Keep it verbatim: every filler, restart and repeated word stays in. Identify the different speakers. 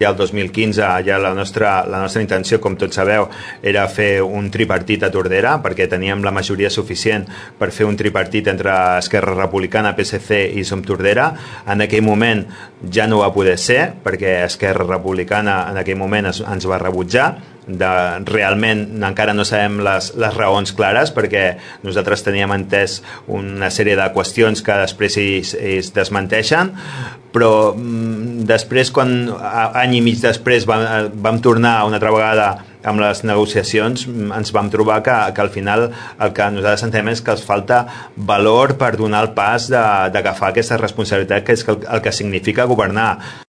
Speaker 1: Ja el dos mil quinze ja la nostra, la nostra intenció, com tots sabeu, era fer un tripartit a Tordera, perquè teníem la majoria suficient per fer un tripartit entre Esquerra Republicana, P S C i Som Tordera. En aquell moment ja no va poder ser, perquè Esquerra Republicana en aquell moment es, ens va rebutjar. De, realment encara no sabem les, les raons clares, perquè nosaltres teníem entès una sèrie de qüestions que després ells, ells desmenteixen, però mm, després, quan any i mig després vam, vam tornar una altra vegada amb les negociacions, ens vam trobar que, que al final el que nosaltres entenem és que els falta valor per donar el pas d'agafar aquesta responsabilitat, que és el, el que significa governar.